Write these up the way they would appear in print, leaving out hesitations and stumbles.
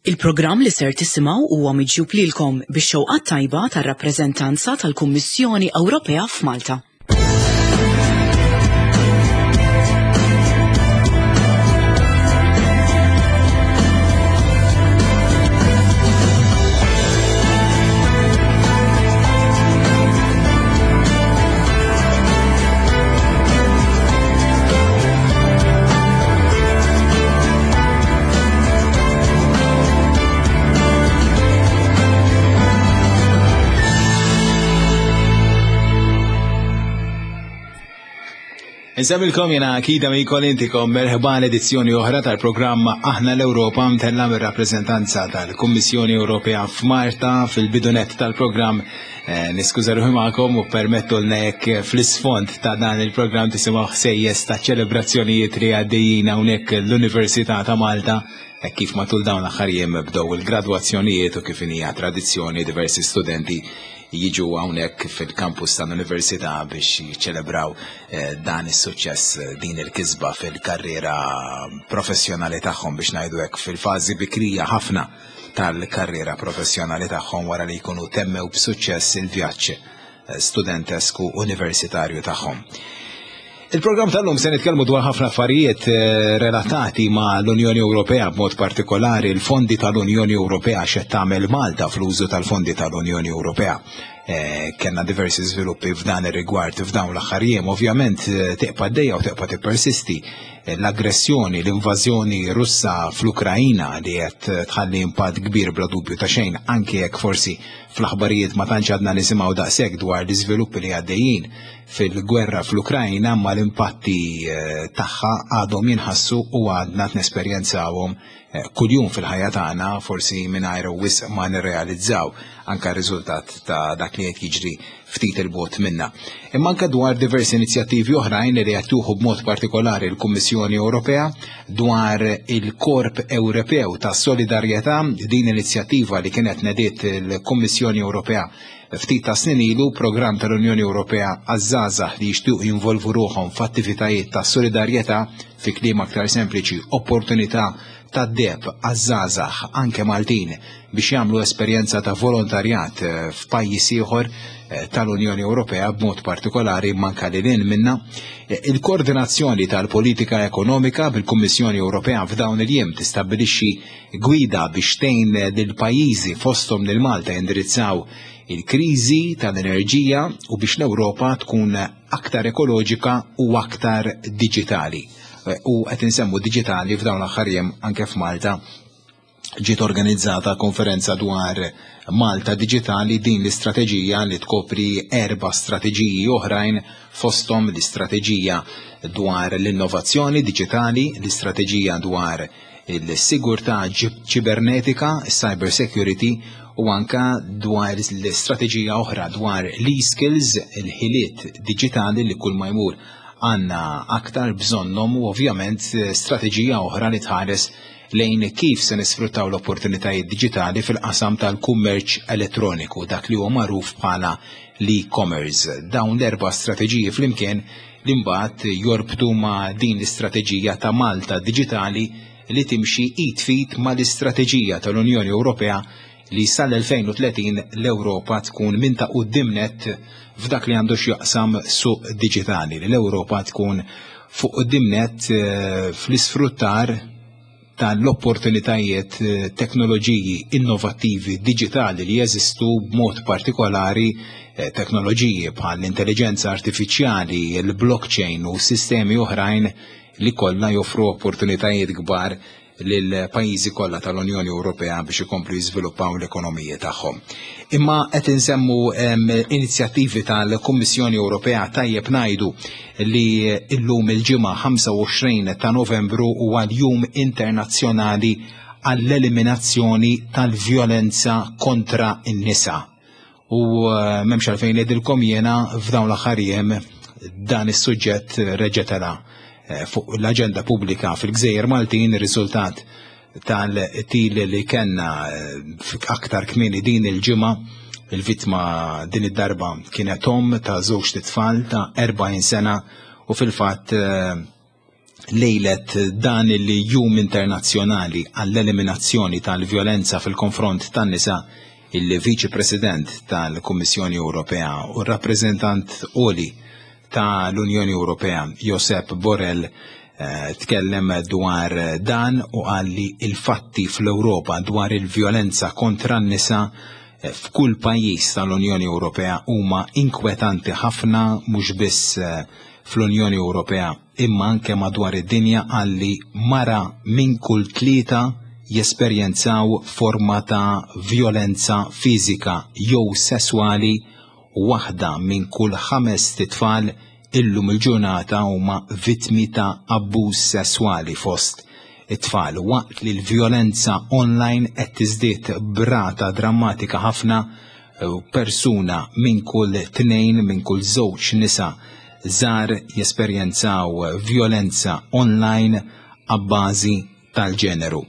Il-programm li ser tisimgħu huwa miġjub lilkom bix-xewqat tajba tar-rappreżentanza tal-Kummissjoni Ewropea f'Malta. Insemmilkom jena Akida Mikol intikom merħba l-edizzjoni oħra tal-programm Aħna l-Ewropa mtella mir-rappreżentanza tal-Kummissjoni Ewropea f'Marta fil-bidunet tal-programm Eh, niskuża ruħi magħkom u permettulna jekk fl-isfond ta' dan il-programm tisimgħu ħsejjes ta' ċelebrazzjonijiet li għaddejjin hawnhekk l-Università ta' Malta eh, kif matul dawn l-aħħar jiem bdew il-gradwazzjonijiet u kif hija tradizzjoni diversi studenti jiġu hawnhekk fil-kampus tal-Università biex jiċċelebraw eh, dan is-suċċess din il-kisba fil-karriera professjonali tagħhom biex ngħidu hekk fil-fażi bikrija ħafna tal-karriera professjonali tagħhom wara li jkunu temmew b'suċċess il-vjaġġ eh, studentesku universitarju tagħhom. Il-programm tal-lum se nitkellmu dwar ħafna affarijiet eh, relatati ma' l-Unjoni Ewropea b'mod partikolari l-fondi tal-Unjoni Ewropea x'qed tagħmel Malta fl-użu tal-fondi tal-Unjoni Ewropea. Eh, kenna diversi żviluppi f'dan ir-rigward f'dawn l-aħħar jiem, ovvjament tibqa' dejja u tibqa' tippersisti l-aggressjoni, l-invażjoni Russa fl-Ukrajina li qed tħalli impatt kbir bla dubju ta' xejn anke jekk forsi fl-aħbarijiet ma tantx għadna nisimgħu daqshekk dwar l-iżviluppi li għaddejjin fil-gwerra fl-Ukrajina ma l-impatti eh, tagħha għadhom jinħassu u għadna nesperjenzawhom eh, kuljum fil-ħajja tagħna forsi mingħajr wisq ma nirrealizzaw anke riżultat ta' dak li qed jiġri ftit il-bogħod minna. Imma anke dwar diversi inizjattivi oħrajn li qed tuħu b'mod partikolari l-Kummissjoni Ewropea dwar il-Korp Ewropew ta' Solidarjetà, din inizjattiva li kienet nediet il-Kummissjoni Ewropea ftit ta' snin ilu programm tal-Unjoni Ewropea għaż-żgħażagħ li jixtiequ jinvolvu ruħhom f'attivitajiet ta' solidarjetà fi kliem aktar sempliċi opportunità tad-deheb għaż-żgħażagħ anke Maltin biex jagħmlu esperjenza ta' volontarjat eh, f'pajjiż ieħor eh, tal-Unjoni Ewropea b'mod partikolari manka lil hinn minna. Eh, il-koordinazzjoni tal-politika ekonomika bil-Kummissjoni Ewropea f'dawn il-jiem tistabbilixxi gwida biex tgħin lil pajjiżi fosthom lil Malta jindirizzaw il-kriżi tal-enerġija u biex l-Ewropa tkun aktar ekoloġika u aktar diġitali. U qed insemmu diġitali f'dawn l-aħħar jiem anke f'Malta ġiet organizzata konferenza dwar Malta Digitali din l-istrateġija li tkopri erba' strateġiji oħrajn fosthom l-istrateġija dwar l-innovazzjoni diġitali, l-istrateġija dwar il-sigurtà ċibernetika, cyber security u anka dwar l-istrateġija oħra dwar l-e-skills, il-ħiliet diġitali li kull ma jmur għandna aktar bżonnhom u ovvjament strateġija oħra li tħares lejn kif se nisfruttaw l-opportunitajiet diġitali fil-qasam tal-kummerċ elettroniku, dak li huwa magħruf bħala l-e-commerce. Dawn l-erba' strateġiji flimkien li mbagħad jorbtu ma' din l-istrateġija ta' Malta Diġitali li timxi id f'id mal-istrateġija tal-Unjoni Ewropea li sal-2030 l-Ewropa tkun minn ta' quddiem nett f'dak li għandu x'jaqsam suq diġitali, li l-Ewropa tkun fuq quddiem nett eh, fl-isfruttar tal-opportunitajiet eh, teknoloġiji innovattivi diġitali li jeżistu b'mod partikolari eh, teknoloġiji bħal l-intelligenza artifiċjali, il-blockchain u sistemi oħrajn li kollha joffru opportunitajiet kbar lill-pajjiżi kollha tal-Unjoni Ewropea biex ikomplu jiżviluppaw l-ekonomiji tagħhom. Imma qed insemmu inizjattivi tal-Kummissjoni Ewropea tajjeb ngħidu li llum il-ġimgħa 25 ta' Novembru huwa l-Jum Internazzjonali għall-eliminazzjoni tal-vjolenza kontra n-nisa. U eh, m'hemmx għalfejn ngħidilkom jiena f'dawn l-aħħar jiem dan is-suġġett reġa' tela' eh, fuq l-aġenda pubblika fil-Gżejjer Maltin ir-riżultat tal-til li kellna eh, aktar kmieni din il-ġimgħa il-vittma din id-darba kienet om ta' żewġ tfal ta' 40 sena u fil-fatt. Lejlet dan il-Jum Internazzjonali għall-Eliminazzjoni tal-Vjolenza fil-Konfront tan-Nisa, il-Viċi President tal-Kummissjoni Ewropea u r-Rappreżentant Għoli ta' l-Unjoni Ewropea, Josep Borrell, eh, tkellem dwar dan u qal li il-fatti fl-Ewropa dwar il-vjolenza kontra n-nisa eh, f'kull pajjiż tal-Unjoni Ewropea huma inkwetanti ħafna mhux biss eh, fl-Unjoni Ewropea imma anke madwar id-dinja. Qal li mara minn kull tlieta jesperjenzaw forma ta' vjolenza fiżika jew sesswali u waħda minn kull ħamest itfal illum il-ġurnata huma vittmi ta' abbuż sesswali fost it-tfal, waqt li l-vjolenza online qed tiżdied b'rata drammatika ħafna, persuna minn kull tnejn, minn kull żewġ nisa żgħar jesperjenzaw vjolenza online abbażi tal-ġeneru.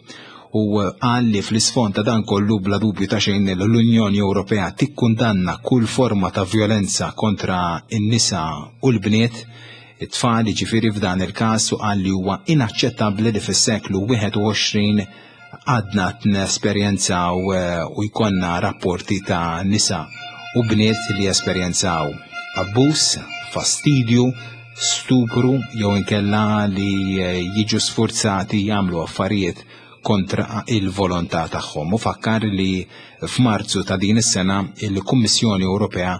U qal li fl-isfond ta' dan kollu, bla dubju ta' xejn, l-Unjoni Ewropea tikkundanna kull forma ta' vjolenza kontra n-nisa u l-bniet, it-tfal ġifieri f'dan il-każ, u qal li huwa inaċċettabbli li fis-seklu 21 għadna nesperjenzaw u jkollna rapporti ta' nisa u bniet li esperjenzaw abbuż, fastidju, stupru jew inkella li jiġu sfurzati jagħmlu affarijiet kontra il-volontà tagħhom. U fakkar li f'Marzu ta' din is-sena il-Kummissjoni Ewropea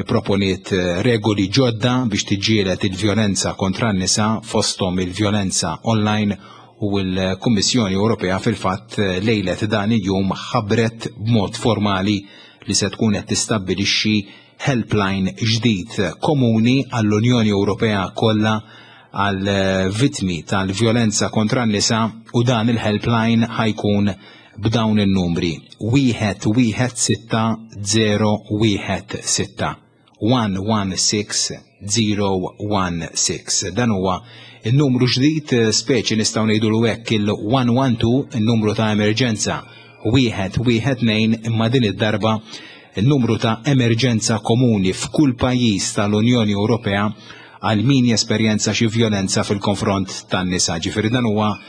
proponiet regoli ġodda biex tiġġieled il-vjolenza kontra n-nisa, fosthom il-vjolenza online, u l-Kummissjoni Ewropea fil-fatt lejlet dan il-jum ħabbret b'mod formali li se tkun qed tistabbilixxi helpline ġdid komuni għall-Unjoni Ewropea kollha għal vittmi tal-vjolenza kontra n-nisa, u dan il-helpline ħa jkun b'dawn in-numri: 116016, 116016. Dan huwa il-numru ġdid, speċi nistgħu ngħidu hekk il-112, il-numru ta' emerġenza 112, imma din id-darba il-numru ta' emerġenza komuni f'kull pajjiż tal-Unjoni Ewropea għal min jesperjenza xi vjolenza fil-konfront tan-nisa. Ġifieri dan huwa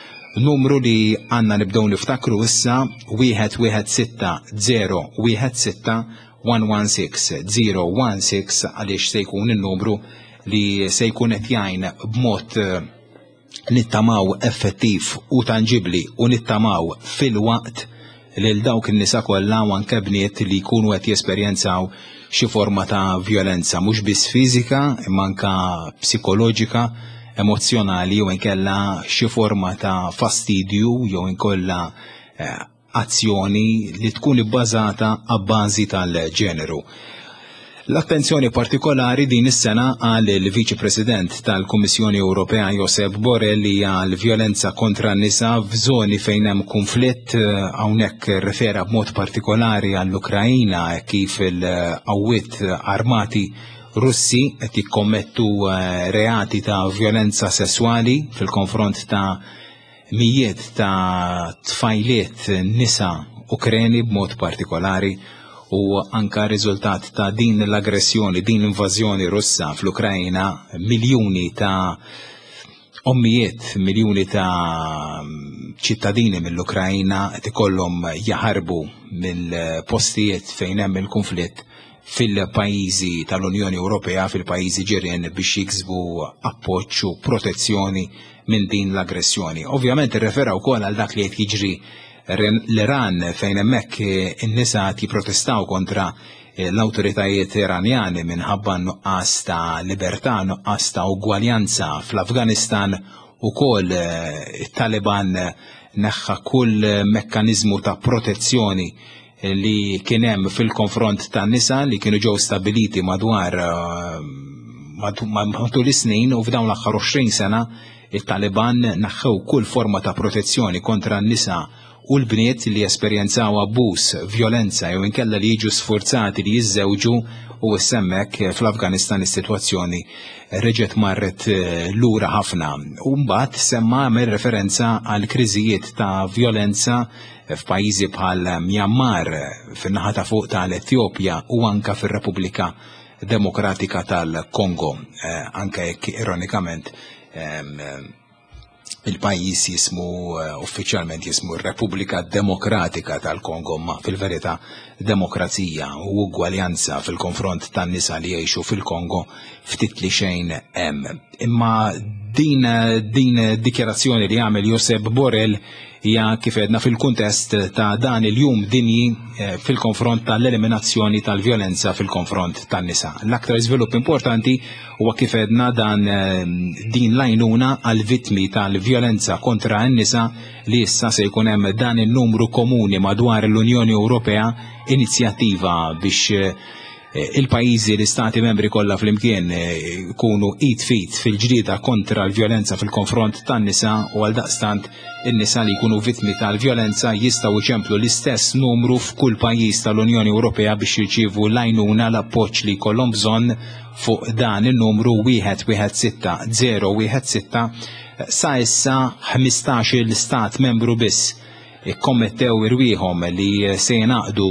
numru li għandna nibdew niftakru issa: 116016, 116016, għaliex se jkun il-numru li se jkun qed jgħin b'mod nittamaw effettiv u tangibli u nittamaw fil-waqt lil dawk in-nisa kollha u anke bniet li jkunu qed jesperjenzaw xi forma ta' vjolenza, mhux biss fiżika imma anke psikoloġika, emozzjonali jew inkella xi forma ta' fastidju jew inkella azzjoni li tkun ibbażata abbażi tal-ġeneru. L-attenzjoni partikolari din is-sena, qal il-Viċi President tal-Kummissjoni Ewropea Josep Borrell, hija l-vjolenza kontra n-nisa f'żoni fejn hemm konflitt. Hawnhekk refera b'mod partikolari għall-Ukrajina, kif il-qawwiet armati Russi qed jikkommettu reati ta' vjolenza sesswali fil-konfront ta' mijiet ta' tfajliet nisa Ukreni b'mod partikolari, u anka riżultat ta' din l-aggressjoni, din l-invażjoni Russa fl-Ukrajna, miljuni ta' ommijiet, miljuni ta' ċittadini mill-Ukrajna qed ikollhom jaħarbu mill-postijiet fejn hemm il-konflitt fil-pajjiżi tal-Unjoni Ewropea, fil-pajjiżi ġirien, biex jiksbu appoġġ u protezzjoni minn din l-aggressjoni. Ovvjament irrefera wkoll għal dak li qed jiġri l-Iran, fejn hemmhekk in-nisa qed jipprotestaw kontra l-awtoritajiet Iranjani minħabba nuqqas ta' libertà, nuqqas ta' ugwaljanza. Fl-Afganistan ukoll it-Taliban neħħa kull mekkaniżmu ta' protezzjoni li kien hemm fil-konfront ta' nisa li kienu ġew stabiliti madwar matul is-snin, u f'dawn l-aħħar 20 sena it-Taliban neħħew kull forma ta' protezzjoni kontra n-nisa u l-bniet li esperjenzaw abbuż, vjolenza jew inkella li jiġu sforzati li jiżżewġu, u hemmhekk fl-Afganistan is-sitwazzjoni reġgħet marret lura ħafna. U mbagħad semma għamel referenza għal kriżijiet ta' vjolenza f'pajjiżi bħal Myanmar, fin-naħa ta' fuq tal-Etjopja u anka fir-Repubblika Demokratika tal-Kongo, anke jekk ironikament Il-pajjiż jismu eh, uffiċjalment jismu r-Repubblika Demokratika tal-Kongo ma fil-verità demokrazija u ugwaljanza fil-konfront tan-nisa li jgħixu fil-Kongo ftit li xejn hemm. Imma din din dikjarazzjoni li għamel Josep Borrell hija kif edna fil-kuntest ta' dan il-jum dinji eh, fil-konfront tal-eliminazzjoni tal-vjolenza fil-konfront tan-nisa. L-aktar iżvilupp importanti huwa kif edna dan eh, din l-għajnuna għal vittmi tal-vjolenza kontra n-nisa li issa se jkun hemm dan in-numru komuni madwar l-Unjoni Ewropea inizjattiva biex eh, il-pajjiżi l-istati membri kollha flimkien jkunu eh, id fit fil-ġlieda kontra l-vjolenza fil-konfront tan-nisa u għal daqstant in-nisa li jkunu vittmi tal-vjolenza jistgħu jċemplu l-istess numru f'kull pajjiż tal-Unjoni Ewropea biex jirċievu l-għajnuna l-appoġġ li jkollhom bżonn fuq dan in-numru 116 016 sa issa 15-il stat membru biss ikkommettew irwieħhom li se jingħaqdu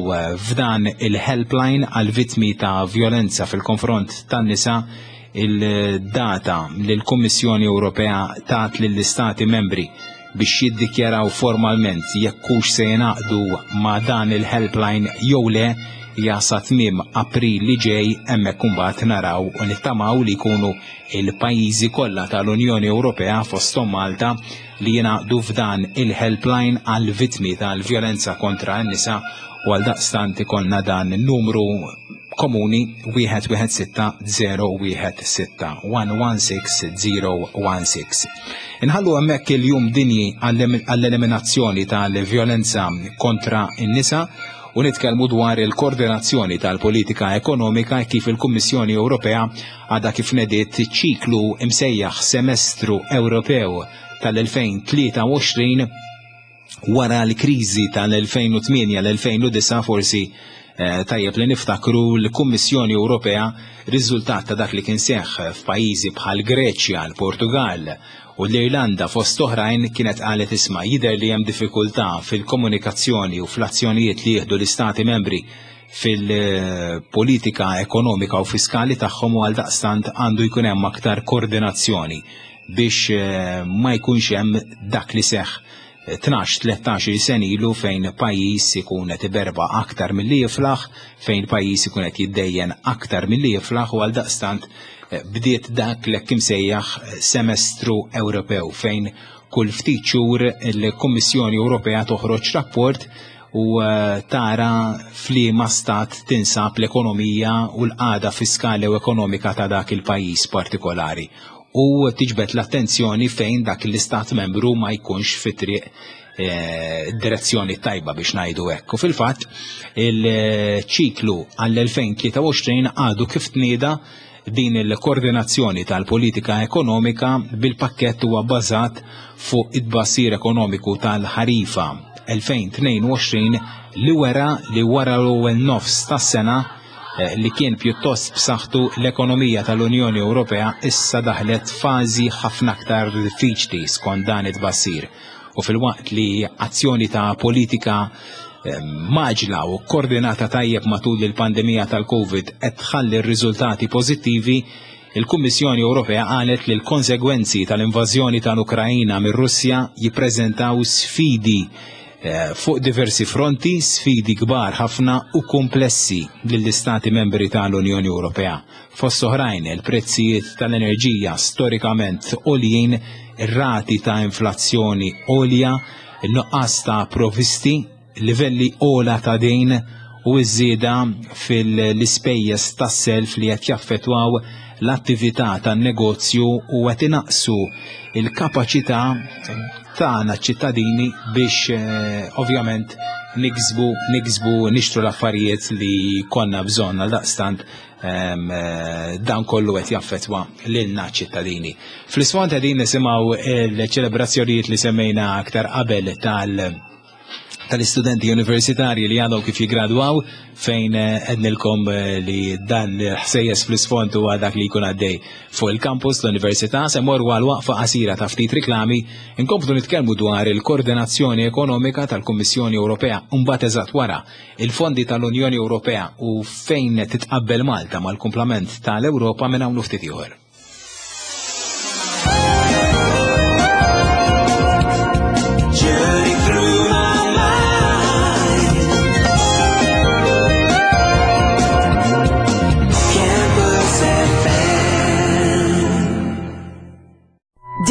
f'dan il-helpline għal vittmi ta' vjolenza fil-konfront tan-nisa il-data li l-Kummissjoni Ewropea tat lill-istati membri biex jiddikjaraw formalment jekk hux se jingħaqdu ma' dan il-helpline jew le hija sa tmiem April li ġej hemmhekk imbagħad naraw u nittamaw li jkunu il-pajjiżi kollha tal-Unjoni Ewropea fosthom Malta li jingħaqdu f'dan il-helpline għal vittmi tal-vjolenza kontra n-nisa u għal daqstant ikollna dan numru komuni 116016 116016. Inħallu hemmhekk il-jum dinji għall-eliminazzjoni tal-vjolenza kontra n-nisa u nitkellmu dwar il-koordinazzjoni tal-politika ekonomika kif il-Kummissjoni Ewropea għadha kif nediet ċiklu imsejjaħ Semestru Ewropew tal-2023 wara l-kriżi tal-2008 l-2009 forsi eh, tajjeb li niftakru l-Kummissjoni Ewropea riżultat ta' dak li kien seħħ f'pajjiżi bħal Greċja, l-Portugal u l-Irlanda fost oħrajn kienet qalet isma' jidher li hemm diffikultà fil-komunikazzjoni u fl-azzjonijiet li jieħdu l-istati membri fil-politika ekonomika u fiskali tagħhom u għaldaqstant għandu jkun hemm aktar koordinazzjoni biex eh, ma jkunx hemm dak li seħħ 12-13 sen ilu fejn pajjiż ikun qed iberba aktar milli jiflaħ, fejn pajjiż ikun qed jiddejjen aktar milli jiflaħ u għaldaqstant eh, bdiet dak l-hekk imsejjaħ semestru Ewropew fejn kull ftit xhur il-Kummissjoni Ewropea toħroġ rapport u eh, tara f'liema stat tinsab l-ekonomija u l-qagħda fiskali u ekonomika ta' dak il-pajjiż partikolari u tiġbed l-attenzjoni fejn dak l-istat membru ma jkunx fi triq eh, direzzjoni tajba biex ngħidu hekk. U fil-fatt il-ċiklu għall-2023 għadu kif tnieda din il-koordinazzjoni tal-politika ekonomika bil-pakkett huwa bbażat fuq it-tbassir ekonomiku tal-ħarifa 2022 li wera li wara l-ewwel nofs tas-sena eh, li kien pjuttost b'saħħtu l-ekonomija tal-Unjoni Ewropea issa daħlet fażi ħafna aktar diffiċli skont dan it-tbassir. U filwaqt li azzjoni ta' politika eh, maġla u koordinata tajjeb matul il-pandemija tal-Covid qed tħalli r-riżultati pożittivi, il-Kummissjoni Ewropea qalet li l-konsegwenzi tal-invażjoni tal-Ukrajina mir-Russja jippreżentaw sfidi eh, fuq diversi fronti, sfidi kbar ħafna u komplessi lill-Istati membri tal-Unjoni Ewropea. Fost oħrajn, il-prezzijiet tal-enerġija storikament għoljin, ir-rati ta' inflazzjoni għolja, in-nuqqas ta' provisti, livelli ogħla ta' dejn u ż-żieda fil-ispejjeż tas-self li qed jaffettwaw l-attività tan-negozju u qed inaqqsu l-kapaċità tagħna ċ-ċittadini biex eh, ovvjament niksbu niksbu nixtru l-affarijiet li konna bżonn għal daqstant eh, dan kollu qed jaffettwa lilna ċittadini. Fl-isfond qegħdin nisimgħu l-ċelebrazzjonijiet li semmejna aktar qabel tal- tal-istudenti universitarji li għadhom kif jigradwaw fejn eh, għednilkom eh, li dan ħsejjes fl-isfond huwa dak li jkun għaddej fuq il-campus l-università se morru għal waqfa qasira ta' ftit riklami inkomplu nitkellmu dwar il-koordinazzjoni ekonomika tal-Kummissjoni Ewropea mbagħad eżatt wara il-fondi tal-Unjoni Ewropea u fejn titqabbel Malta mal-kumplament tal-Ewropa minn hawn ftit ieħor.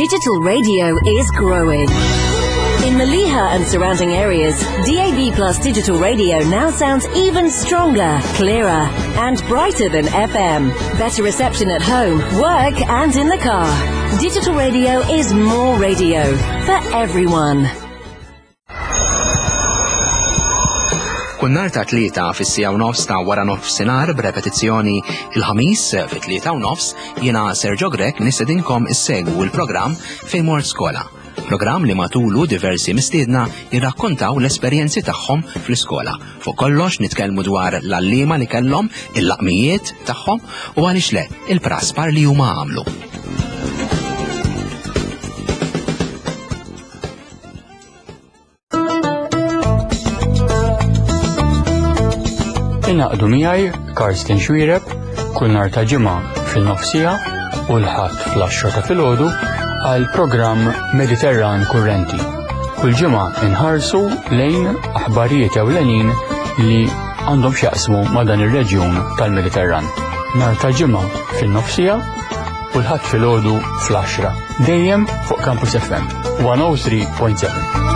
Digital radio is growing. In Mellieħa and surrounding areas, DAB Plus digital radio now sounds even stronger, clearer, and brighter than FM. Better reception at home, work, and in the car. Digital radio is more radio for everyone. Kull nhar ta' Tlieta fis-siegħa u nofs ta' wara nofsinhar b'repetizzjoni il-Ħamis fit-tlieta u nofs jiena Sergio Grech nistedinkom issegwu l-programm Fejn Mort Skola. Programm li matulu diversi mistiedna jirrakkontaw l-esperjenzi tagħhom fl-iskola. Fuq kollox nitkellmu dwar l-għalliema li kellhom, il-laqmijiet tagħhom u għaliex le, il-praspar li huma għamlu. Ingħaqdu miegħi Karsten Xuereb kull nhar ta' ġimgħa fil-nofsija u l-Ħadd fl-10 ta' filgħodu għal programm Mediterran Kurrenti. Kull ġimgħa inħarsu lejn aħbarijiet ewlenin li għandhom x'jaqsmu ma' dan ir-reġjun tal-Mediterran. Nhar ta' ġimgħa fin-nofsija u l-Ħadd filgħodu fl-10. Dejjem fuq Campus FM 103.7.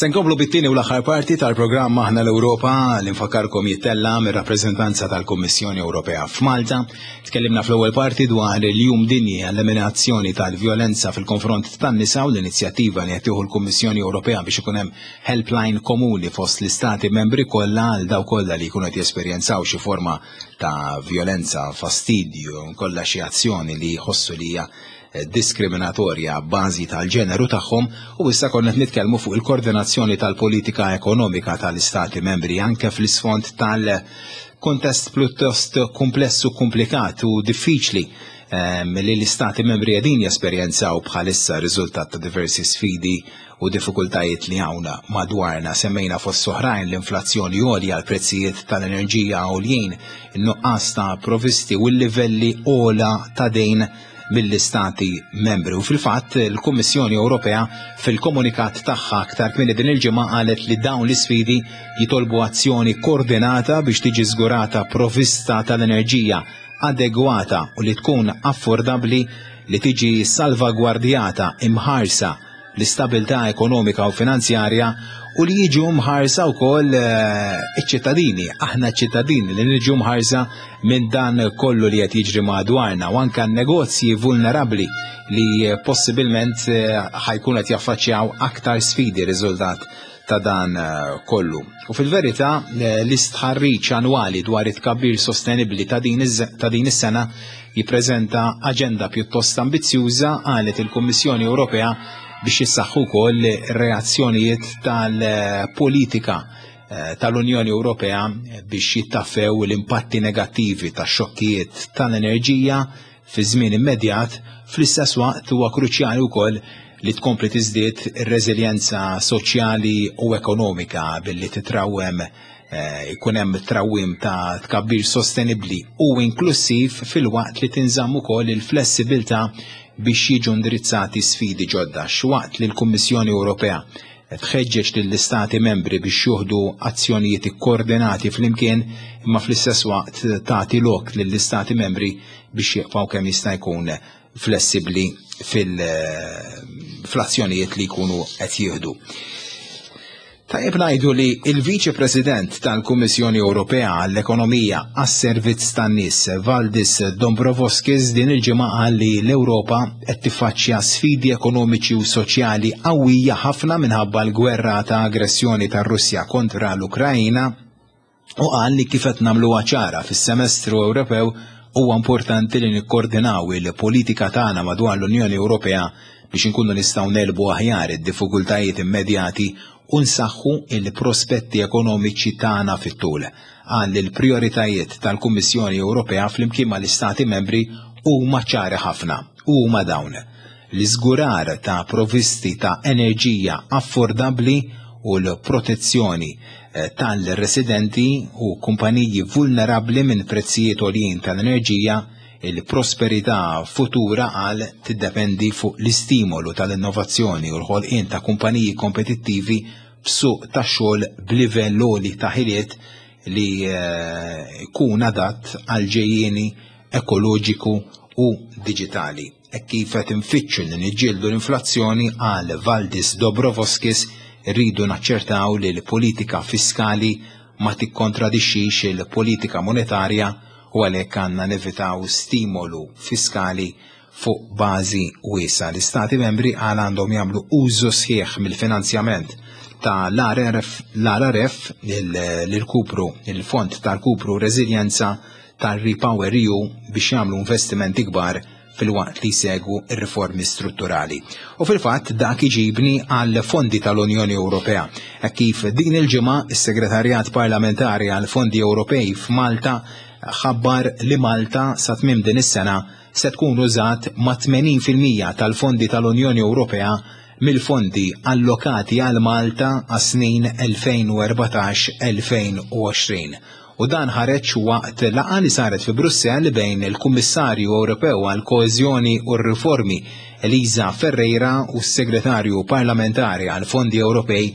Se nkomplu bit-tieni u l-aħħar parti tal-programm Aħna l-Ewropa li nfakkarkom jittella mir-rappreżentanza tal-Kummissjoni Ewropea f'Malta. Tkellimna fl-ewwel parti dwar il-Jum Dinji għall-Eliminazzjoni tal-Vjolenza fil-konfront tan-nisa u l-inizjattiva li qed tieħu l-Kummissjoni Ewropea biex ikun hemm helpline komuni fost l-istati membri kollha għal dawk kollha li jkunu qed jesperjenzaw xi forma ta' vjolenza, fastidju, kollha xi azzjoni li jħossu li hija diskriminatorja b'bażi tal-ġeneru tagħhom u issa konna qed nitkellmu fuq il-koordinazzjoni tal-politika ekonomika tal-istati membri anke fl-isfond tal-kuntest pjuttost kumpless u komplikat u diffiċli ehm, li l-istati membri qegħdin jesperjenzaw bħalissa riżultat ta' diversi sfidi u diffikultajiet li hawn madwarna. Semmejna fost oħrajn l-inflazzjoni għolja, l-prezzijiet tal-enerġija għoljin, in-nuqqas ta' provisti u l-livelli ogħla ta' dejn mill-Istati membri. U fil-fatt il-Kummissjoni Ewropea fil-komunikat tagħha aktar kmieni din il-ġimgħa qalet li dawn l-isfidi jitolbu azzjoni koordinata biex tiġi żgurata provvista tal-enerġija adegwata u li tkun affordabbli li tiġi salvagwardjata imħarsa l-istabilità ekonomika u finanzjarja u li jiġu mħarsa wkoll eh, iċ-ċittadini, aħna ċittadini li niġu mħarsa minn dan kollu li qed jiġri madwarna u anke negozji vulnerabbli li possibilment eh, ħajkun qed jaffaċċjaw aktar sfidi riżultat ta' dan eh, kollu. U fil-verità l-istħarriġ annwali dwar it-tkabbir sostenibbli ta' din is-sena jippreżenta aġenda pjuttost ambizzjuża qalet il-Kummissjoni Ewropea biex jissaħħu wkoll reazzjonijiet tal-politika eh, tal-Unjoni Ewropea biex jittaffew l-impatti negattivi ta' xokkijiet tal-enerġija fi żmien immedjat, fl-istess waqt huwa kruċjali wkoll li tkompli tiżdied ir-reżiljenza soċjali u ekonomika billi titrawwem Eh, ikun hemm trawwim ta' tkabbir sostenibbli u inklussiv filwaqt li tinżamm ukoll il-flessibilità biex jiġu indirizzati sfidi ġodda. X'waqt li l-Kummissjoni Ewropea tħeġġeġ lill-istati membri biex juħdu azzjonijiet ikkoordinati flimkien imma fl-istess waqt tagħti lok lill-istati membri biex jibqgħu kemm jista' jkun flessibbli fil-azzjonijiet li jkunu qed jieħdu. Tajjeb ngħidu li il-Viċi President tal-Kummissjoni Ewropea għall-Ekonomija għas-Servizz tan-Nies Valdis Dombrovskis din il-ġimgħa qal li l-Ewropa qed tiffaċċja sfidi ekonomiċi u soċjali qawwija ħafna minħabba l-gwerra ta' aggressjoni tar-Russja kontra l-Ukrajna u qal li kif qed nagħmluha ċara fis-semestru Ewropew huwa importanti li nikkoordinaw il-politika tagħna madwar l-Unjoni Ewropea biex inkunu nistgħu negħlbu aħjar id-diffikultajiet immedjati u nsaħħu il-prospetti ekonomiċi tagħna fit-tul. Qal li l-prijoritajiet tal-Kummissjoni Ewropea flimkien mal-Istati membri huma ċari ħafna u huma dawn: l-iżgurar ta' provisti ta' enerġija affordabbli u l-protezzjoni eh, tal-residenti u kumpaniji vulnerabbli minn prezzijiet għoljin tal-enerġija, Il-prosperità futura qal tiddependi fuq l-istimolu tal-innovazzjoni u l-ħolqien ta' kumpaniji kompetittivi b'suq tax-xogħol b'livell għoli ta' ħiliet li jkun adatt għal ġejjieni ekoloġiku u diġitali. Hekk kif qed infittxu li niġġieldu l-inflazzjoni, qal Valdis Dobrovoskis, irridu naċċertaw li l-politika fiskali ma tikkontradixxix il-politika monetarja u għalhekk għandna nevitaw stimolu fiskali fuq bażi wiesgħa. L-Istati membri għal għandhom jagħmlu użu sħiħ mill-finanzjament ta' l-RRF, l-kupru, il-Fond tal-Kupru Reżiljenza tar-Repower EU biex jagħmlu investimenti kbar filwaqt li jsegwu r-riformi strutturali. U fil-fatt dak iġibni għal fondi tal-Unjoni Ewropea. Hekk kif din il-ġimgħa is-Segretarjat Parlamentari għal Fondi Ewropej f'Malta ħabbar li Malta sa tmiem din is-sena se tkun użat ma' 80% tal-fondi tal-Unjoni Ewropea mill-fondi allokati għal Malta għas-snin 2014-2020. U dan ħareġ waqt laqgħa li saret fi Brussell bejn il-Kummissarju Ewropew għall-Koeżjoni u r-Riformi Elisa Ferreira u s-Segretarju Parlamentari għall-Fondi Ewropej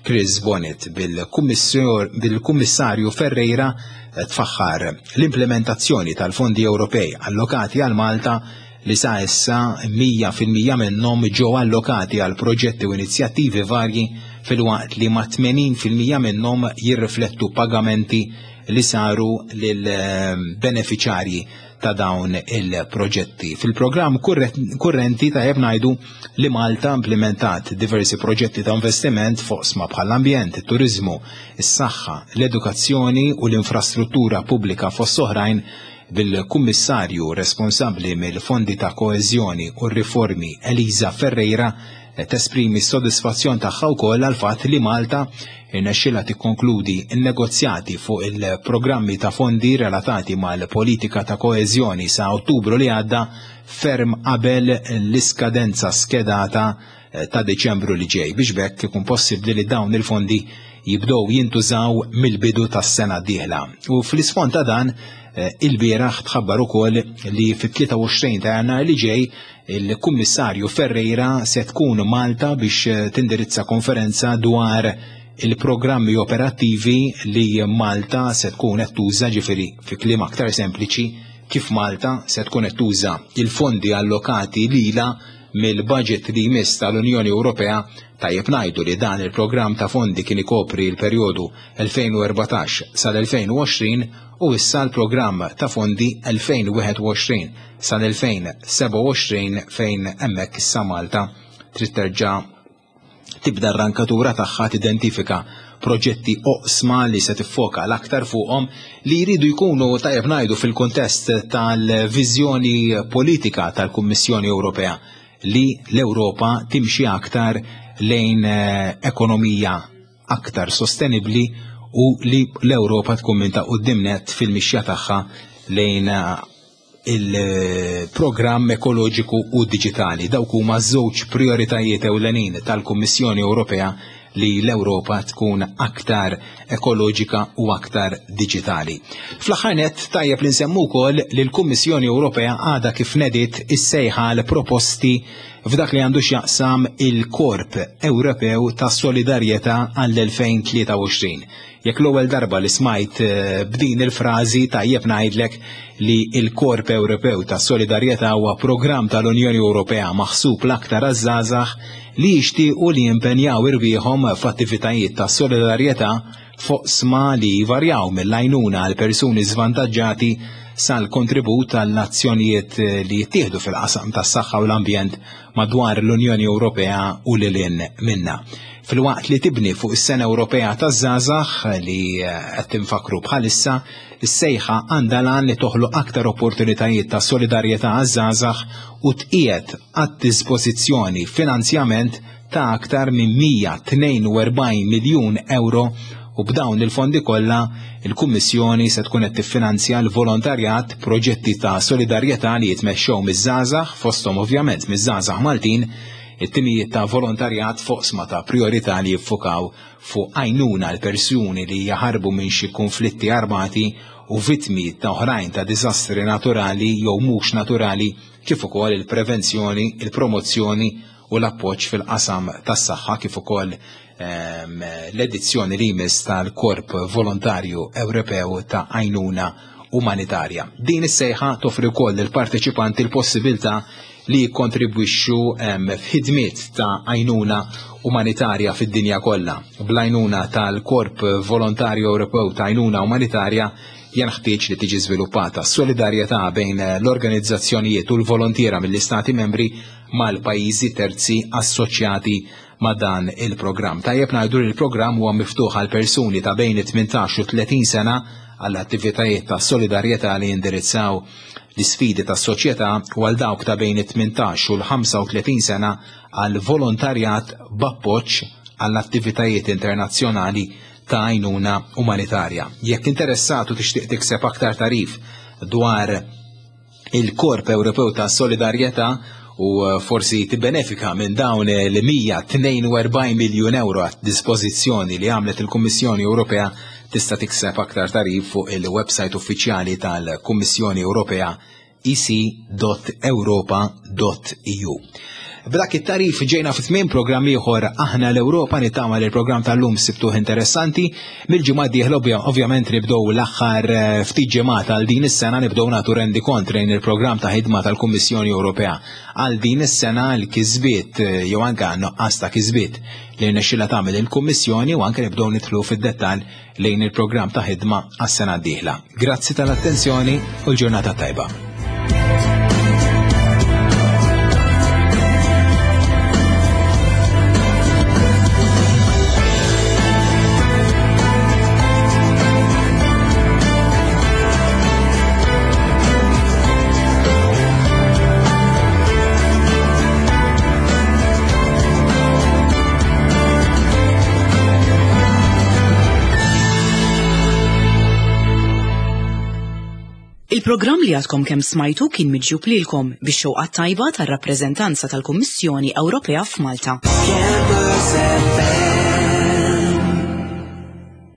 Chris Bonnet, bil-Kummissarju Ferreira tfaħħar l-implementazzjoni tal-fondi Ewropej allokati għal Malta li sa issa 100% minnhom ġew allokati għal proġetti u inizjattivi varji filwaqt li ma' 80% minnhom jirriflettu pagamenti li saru lil benefiċarji ta' dawn il-proġetti. Fil-programm kurrenti tajjeb ngħidu li Malta implementat diversi proġetti ta' investiment f'oqsma bħall-ambjent, it-turiżmu, is-saħħa, l-edukazzjoni u l-infrastruttura pubblika fost oħrajn bil-Kummissarju responsabbli mill-Fondi ta' Koeżjoni u r-Riformi Elisa Ferreira tesprimi s-sodisfazzjon tagħha wkoll għall-fatt li Malta irnexxilha tikkonkludi n-negozjati fuq il-programmi ta' fondi relatati mal-politika ta' koeżjoni sa' Ottubru li għadda ferm qabel l-iskadenza skedata ta' Deċembru li ġej biex b'hekk ikun possibbli li dawn il-fondi jibdew jintużaw mill-bidu tas-sena d-dieħla. U fl-isfond ta' dan ilbieraħ tħabbar ukoll li fit-23 ta' Jannar li ġej il-Kummissarju Ferreira se tkun Malta biex tindirizza konferenza dwar il-programmi operattivi li Malta se tkun qed tuża, ġifieri fi kliem aktar sempliċi kif Malta se tkun qed tuża il-fondi allokati lilha mill-budget li jmiss tal-Unjoni Ewropea. Tajjeb ngħidu li dan il-programm ta' fondi kien ikopri l-perjodu 2014 sal-2020 u issa l-programm ta' fondi 2021 sal-2027 fejn hemmhekk issa Malta trid terġa' tibda r-rankatura tagħha tidentifika proġetti oqsma li se tiffoka l-aktar fuqhom li jridu jkunu tajjeb ngħidu fil-kuntest tal-viżjoni politika tal-Kummissjoni Ewropea li l-Ewropa timxi aktar lejn ekonomija aktar sostenibbli u li l-Ewropa tkun minn ta' quddiem nett fil-mixja tagħha lejn il-programm ekoloġiku u diġitali. Dawk huma żewġ prioritajiet ewlenin tal-Kummissjoni Ewropea li l-Ewropa tkun aktar ekoloġika u aktar diġitali. Fl-aħħar nett tajjeb li nsemmu wkoll li l-Kummissjoni Ewropea għadha kif nediet is-sejħa għal proposti f'dak li għandu x'jaqsam il-Korp Ewropew ta' Solidarjetà għall-2023. Jekk l-ewwel darba li smajt b'din il-frażi tajjeb ngħidlek li l-Korp Ewropew ta' Solidarjetà huwa programm tal-Unjoni Ewropea maħsub l-aktar għaż-żgħażagħ li jixtiequ li jimpenjaw irwieħhom f'attivitajiet ta' solidarjetà f'oqsma li jvarjaw mill-għajnuna għal persuni żvantaġġati sal-kontribut għall-azzjonijiet li jittieħdu fil-qasam tas-saħħa u l-ambjent madwar l-Unjoni Ewropea u lil hinn minnha. Filwaqt li tibni fuq is-Sena Ewropea taż-Żgħażagħ li qed tinfakru bħalissa, is-sejħa għandha l-għan li toħloq aktar opportunitajiet ta' solidarjetà għaż-żgħażagħ u tqiegħed għad-dispożizzjoni finanzjament ta' aktar minn 142 miljun euro u b'dawn il-fondi kollha il-Kummissjoni se tkun qed tiffinanzja l-volontarjat, proġetti ta' solidarjetà li jitmexxew miż-żgħażagħ, fosthom ovvjament miż-żgħażagħ Maltin, it-timijiet ta' volontarjat f'oqsma ta' prijorità li jiffukaw fuq għajnuna għal persuni li jaħarbu minn xi kunflitti armati. u vittmi ta' oħrajn ta' diżastri naturali jew mhux naturali kif ukoll il-prevenzjoni, il-promozzjoni u l-appoġġ fil-qasam tas-saħħa kif ukoll ehm, l-edizzjoni li jmiss tal-Korp Volontarju Ewropew ta' Għajnuna Umanitarja. Din is-sejħa toffri wkoll lill-parteċipanti l-possibilità li jikkontribwixxu ehm, f'ħidmiet ta' għajnuna umanitarja fid-dinja kollha. Bl-għajnuna tal-Korp Volontarju Ewropew ta' Għajnuna Umanitarja jenħtieġ li tiġi żviluppata solidarjetà bejn l-organizzazzjonijiet u l-volontiera mill-Istati membri mal-pajjiżi terzi assoċjati ma' dan il-programm. Tajjeb ngħidu li l-programm huwa miftuħ għal persuni ta' bejn it-18 u 30 sena għall attivitajiet ta' solidarjetà li jindirizzaw l-isfidi tas-soċjetà u għal dawk ta' bejn it-18 u l-35 sena għal volontarjat b'appoġġ għall attivitajiet internazzjonali ta' għajnuna umanitarja. Jekk interessat u tixtieq tikseb aktar tarif dwar il-Korp Ewropew ta' Solidarjetà u eh, forsi tibbenefika minn dawn l-142 miljun euro għat dispożizzjoni li għamlet il-Kummissjoni Ewropea tista' tikseb aktar tarif fuq il-website uffiċjali tal-Kummissjoni Ewropea ec.europa.eu. B'dak it-tarif ġejna fi tmiem programm ieħor aħna l-Ewropa nittama li l-programm tal-lum sibtuh interessanti. Mill-ġimgħa d-dieħla ovvjament nibdew l-aħħar eh, ftit ġimgħat għal din is-sena nibdew nagħtu rendi kont lejn il-programm ta' ħidma tal-Kummissjoni Ewropea għal din is-sena l-kisbiet eh, jew anke nuqqas ta' kisbiet li rnexxilha tagħmel il-Kummissjoni u anke nibdew nidħlu fid-dettall lejn il-programm ta' ħidma għas-sena d-dieħla. Grazzi tal-attenzjoni u l-ġurnata tajba. Il-programm li għadkom kemm smajtu kien miġjub lilkom bix-xewqa tajba tar-rappreżentanza tal-Kummissjoni Ewropea f'Malta. Campus FM.